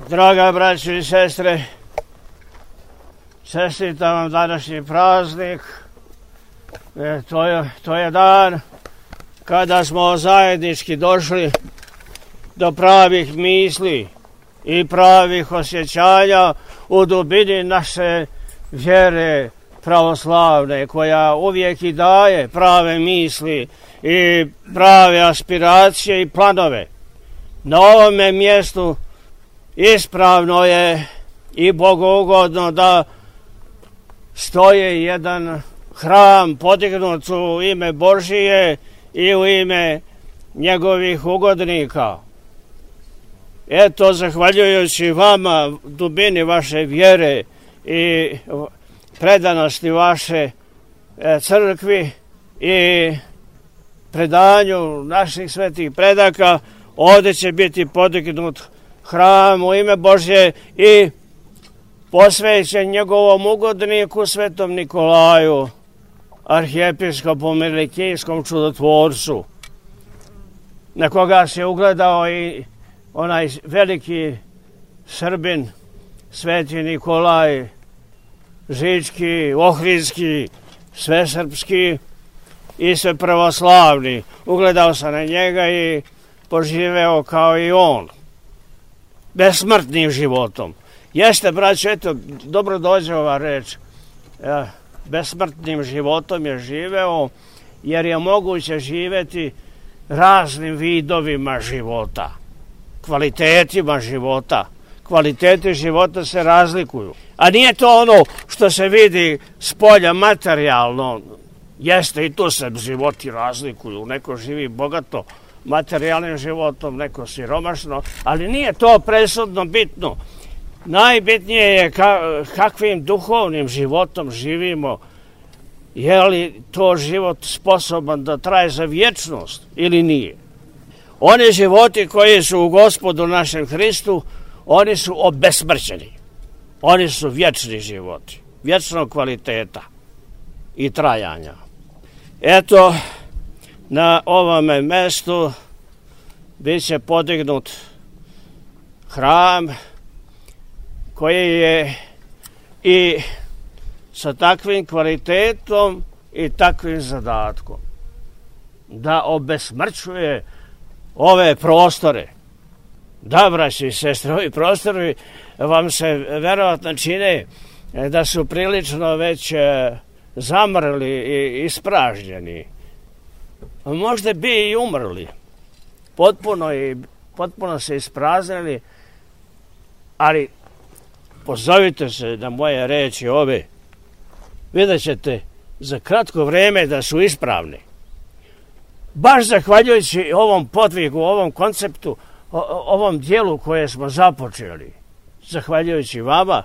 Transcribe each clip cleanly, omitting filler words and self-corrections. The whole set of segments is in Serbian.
Draga braćo i sestre, čestitam vam današnji praznik. To je dan kada smo zajednički došli do pravih misli i pravih osjećanja u dubini naše vjere pravoslavne, koja uvijek i daje prave misli i prave aspiracije i planove. Na ovome mjestu ispravno je i bogougodno da stoji jedan hram podignut u ime Božije i u ime njegovih ugodnika. Eto, zahvaljujući vama, dubini vaše vjere i predanosti vaše crkvi i predanju naših svetih predaka, ovdje će biti podignut hram u ime Božje i posvećen njegovom ugodniku svetom Nikolaju, arhijepiskopu Milikijskom čudotvorcu, na koga se ugledao i onaj veliki Srbin, sveti Nikolaj, Žički, Ohridski, svesrpski i sve pravoslavni. Ugledao se na njega i poživeo kao i on, besmrtnim životom. Jeste, braćo, eto, dobro dođe ova reč. Besmrtnim životom je živeo, jer je moguće živjeti raznim vidovima života, kvalitetima života. Kvaliteti života se razlikuju. A nije to ono što se vidi s polja materijalno. Jeste, i tu se životi razlikuju. Neko živi bogato materijalnim životom, neko siromašno, ali nije to presudno bitno. Najbitnije je kakvim duhovnim životom živimo. Je li to život sposoban da traje za vječnost ili nije? Oni životi koji su u Gospodu našem Hristu, oni su obesmrćeni. Oni su vječni životi, vječnog kvaliteta i trajanja. Eto, na ovome mjestu bit će podignut hram koji je i sa takvim kvalitetom i takvim zadatkom da obesmrćuje ove prostore. Da, braći i sestre, ovi prostori vam se verovatno čine da su prilično već zamrli i ispražnjeni. Možda bi i umrli. Potpuno se ispraznili, ali pozovite se na moje reči ove. Vidjet ćete za kratko vrijeme da su ispravni. Baš zahvaljujući ovom podvigu, ovom konceptu, ovom dijelu koje smo započeli, zahvaljujući vama,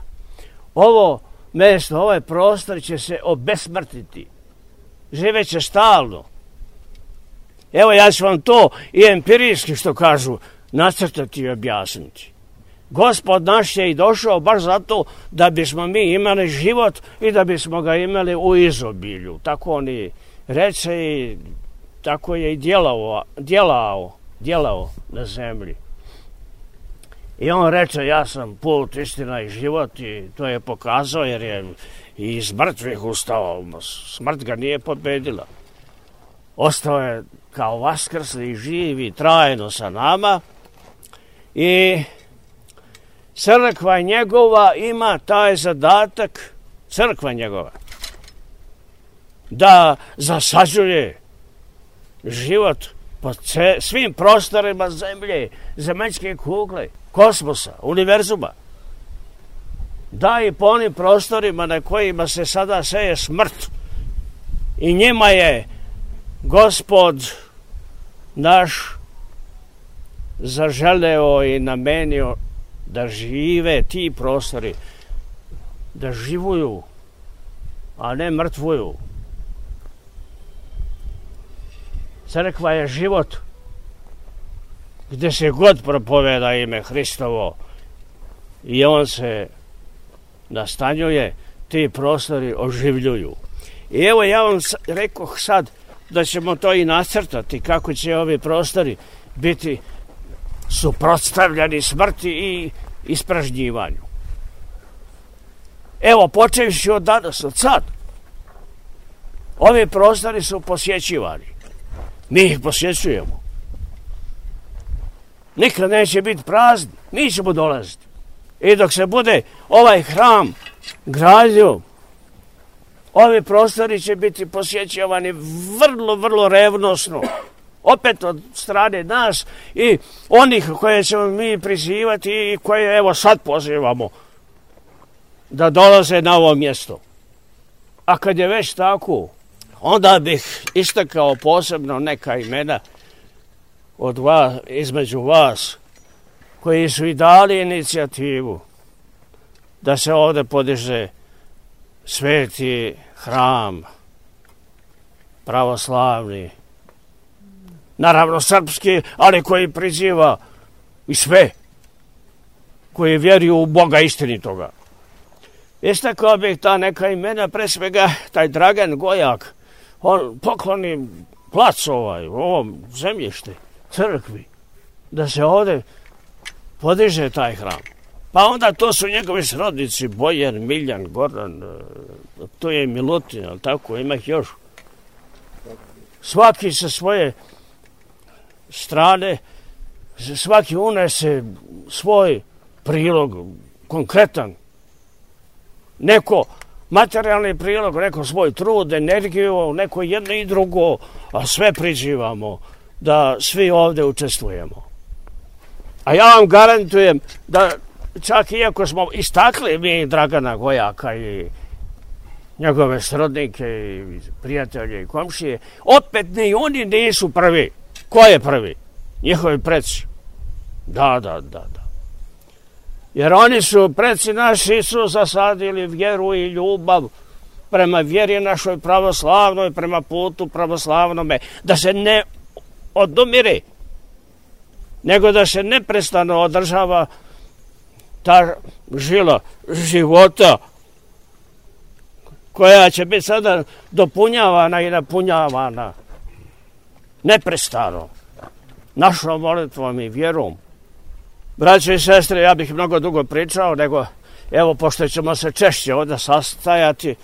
ovo mjesto, ovaj prostor će se obesmrtiti. Živeće stalno. Evo, ja ću vam to i empirijski, što kažu, nacrtati i objasniti. Gospod naš je i došao baš zato da bismo mi imali život i da bismo ga imali u izobilju. Tako on i reče i tako je i djelao na zemlji. I on reče, ja sam put, istina i život, i to je pokazao jer je i iz mrtvih ustao. Smrt ga nije pobedila. Ostao je kao vaskrsli i živi trajno sa nama i crkva njegova ima taj zadatak, crkva njegova, da zasađuje život po svim prostorima zemlje, zemaljske kugle, kosmosa, univerzuma. Da, i po onim prostorima na kojima se sada seje smrt. I njima je Gospod naš zaželeo i namenio da žive ti prostori, da živuju, a ne mrtvuju. Crkva je život gdje se god propoveda ime Hristovo i on se nastanjuje, ti prostori oživljuju. I evo, ja vam rekoh sad da ćemo to i nacrtati, kako će ovi prostori biti suprotstavljeni smrti i ispražnjivanju. Evo, počevši od danas, od sad, ovi prostori su posjećivani. Mi ih posjećujemo. Nikad neće biti prazni, mi ćemo dolaziti. I dok se bude ovaj hram gradio, ovi prostori će biti posjećivani vrlo, vrlo revnosno. Opet od strane nas i onih koje ćemo mi prizivati i koje evo sad pozivamo da dolaze na ovo mjesto. A kad je već tako, onda bih istakao posebno neka imena od vas, između vas, koji su i dali inicijativu da se ovdje podiže sveti hram, pravoslavni, naravno srpski, ali koji priziva i sve, koji vjeruju u Boga istinitoga. Istakao bih ta neka imena, pre svega taj Dragan Gojak, on pokloni plac ovom zemljište, crkvi, da se ovdje podiže taj hram. Pa onda to su njegovi srodnici, Bojan, Miljan, Goran, to je Milutin, ali tako, ima ih još. Svaki sa svoje strane, svaki unese svoj prilog, konkretan. Neko materijalni prilog, neko svoj trud, energiju, neko jedno i drugo, a sve prizivamo da svi ovdje učestvujemo. A ja vam garantujem da čak iako smo istakli mi Dragana Gojaka i njegove srodnike i prijatelje i komšije, opet ni oni nisu prvi. Ko je prvi? Njihovi preci. Da. Jer oni su, preci naši, su zasadili vjeru i ljubav prema vjeri našoj pravoslavnoj, prema putu pravoslavnome, da se ne odumire, nego da se neprestano održava ta žila života koja će biti sada dopunjavana i napunjavana neprestano našom molitvom i vjerom. Braće i sestre, ja bih mnogo dugo pričao, nego evo, pošto ćemo se češće ovdje sastajati,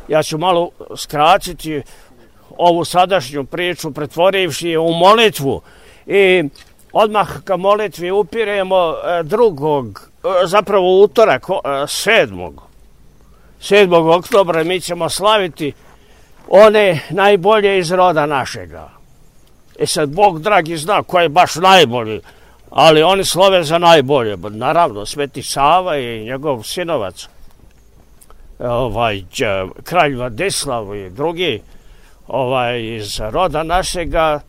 ja ću malo skratiti ovu sadašnju priču, pretvorivši je u molitvu. I odmah ka molitvi upiremo zapravo utorak, 7. oktobra mi ćemo slaviti one najbolje iz roda našega. I sad Bog dragi zna ko je baš najbolji, ali oni slove za najbolje. Naravno, Sveti Sava i njegov sinovac, kralj Vladislav i drugi iz roda našega,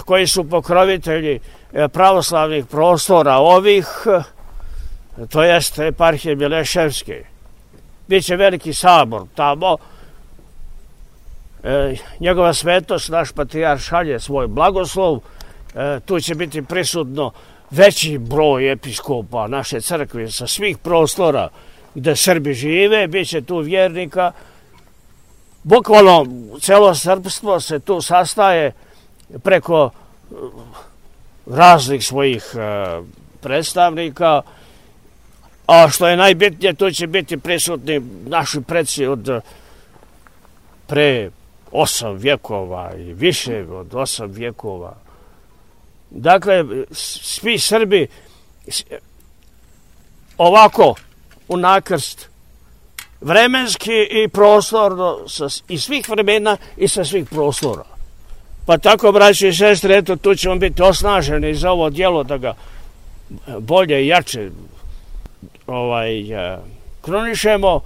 koji su pokrovitelji pravoslavnih prostora ovih, to jest eparhije Mileševske. Biće veliki sabor tamo. Njegova svetost, naš patrijarh, šalje svoj blagoslov. Tu će biti prisutno veći broj episkopa naše crkve sa svih prostora gde Srbi žive, bit će tu vjernika. Bukvalno celo srpstvo se tu sastaje preko raznih svojih predstavnika, a što je najbitnije, tu će biti prisutni naši preci od pre 8 vjekova i više od 8 vjekova. Dakle, svi Srbi ovako u nakrst, vremenski i prostorno, iz svih vremena i sa svih prostora. Pa tako, braći i sestre, eto, tu ćemo biti osnaženi za ovo djelo, da ga bolje i jače kronišemo.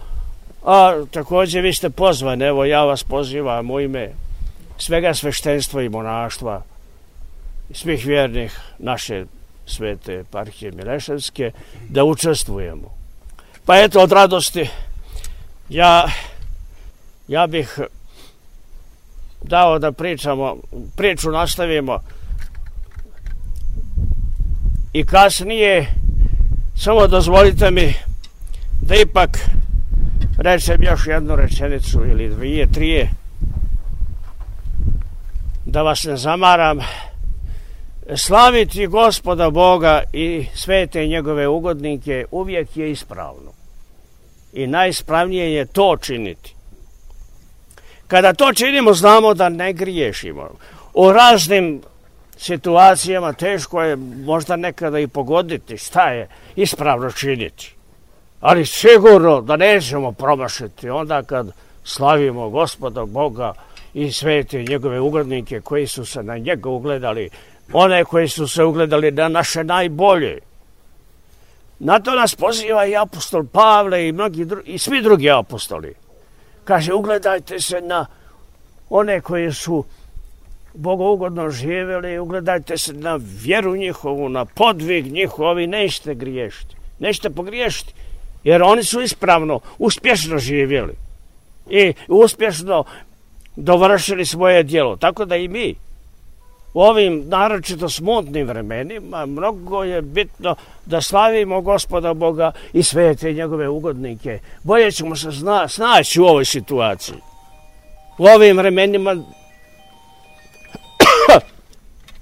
A također vi ste pozvani, evo ja vas pozivam u ime svega sveštenstva i monaštva, svih vjernih naše svete eparhije Mileševske, da učestvujemo. Pa eto, od radosti ja bih dao da priču nastavimo i kasnije. Samo dozvolite mi da ipak rečem još jednu rečenicu ili 2, 3, da vas ne zamaram. slaviti Gospoda Boga i svete njegove ugodnike uvijek je ispravno. I najispravnije je to činiti. Kada to činimo, znamo da ne griješimo. U raznim situacijama teško je možda nekada i pogoditi šta je ispravno činiti. Ali sigurno da nećemo promašiti onda kad slavimo Gospoda Boga i svete njegove ugodnike koji su se na njega ugledali, one koji su se ugledali na naše najbolje. Na to nas poziva i apostol Pavle i svi drugi apostoli. Kaže, ugledajte se na one koji su bogougodno živjeli, ugledajte se na vjeru njihovu, na podvig njihov i nećete griješiti. Nećete pogriješiti, jer oni su ispravno, uspješno živjeli i uspješno dovršili svoje djelo. Tako da i mi u ovim naročito smutnim vremenima mnogo je bitno da slavimo Gospoda Boga i svete njegove ugodnike. Bolje ćemo se snaći u ovoj situaciji. U ovim vremenima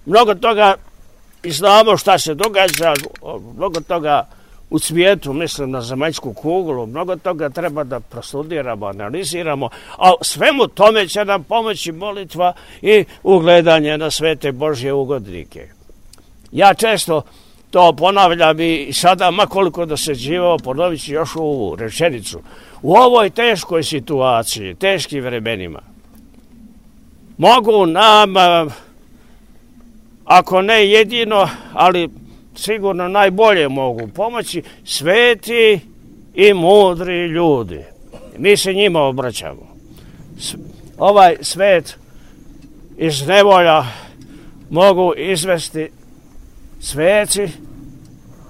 mnogo toga i znamo šta se događa, mnogo toga u svijetu, mislim na zemaljsku kuglu, mnogo toga treba da prostudiramo, analiziramo, a svemu tome će nam pomoći molitva i ugledanje na svete Božje ugodnike. Ja često to ponavljam i sada, makoliko dosađivao, ponovit ću još ovu rečenicu. U ovoj teškoj situaciji, teškim vremenima, mogu nam, ako ne jedino, ali sigurno najbolje mogu pomoći sveti i mudri ljudi. Mi se njima obraćamo. Ovaj svet iz nevolja mogu izvesti sveci,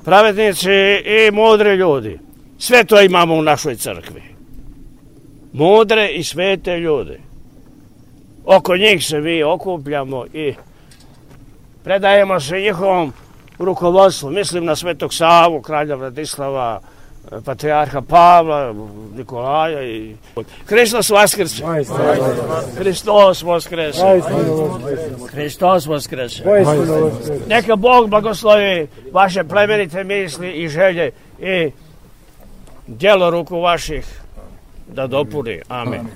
pravednici i mudri ljudi. Sve to imamo u našoj crkvi. Mudre i svete ljude. Oko njih se mi okupljamo i predajemo se njihovom rukovodstvu. Mislim na Svetog Savu, kralja Vladislava, patrijarha Pavla, Nikolaja i... Hristos vaskrse! Hristos vaskrse! Hristos vaskrse! Neka Bog blagoslovi vaše plemenite misli i želje i djelo ruku vaših da dopuni. Amen.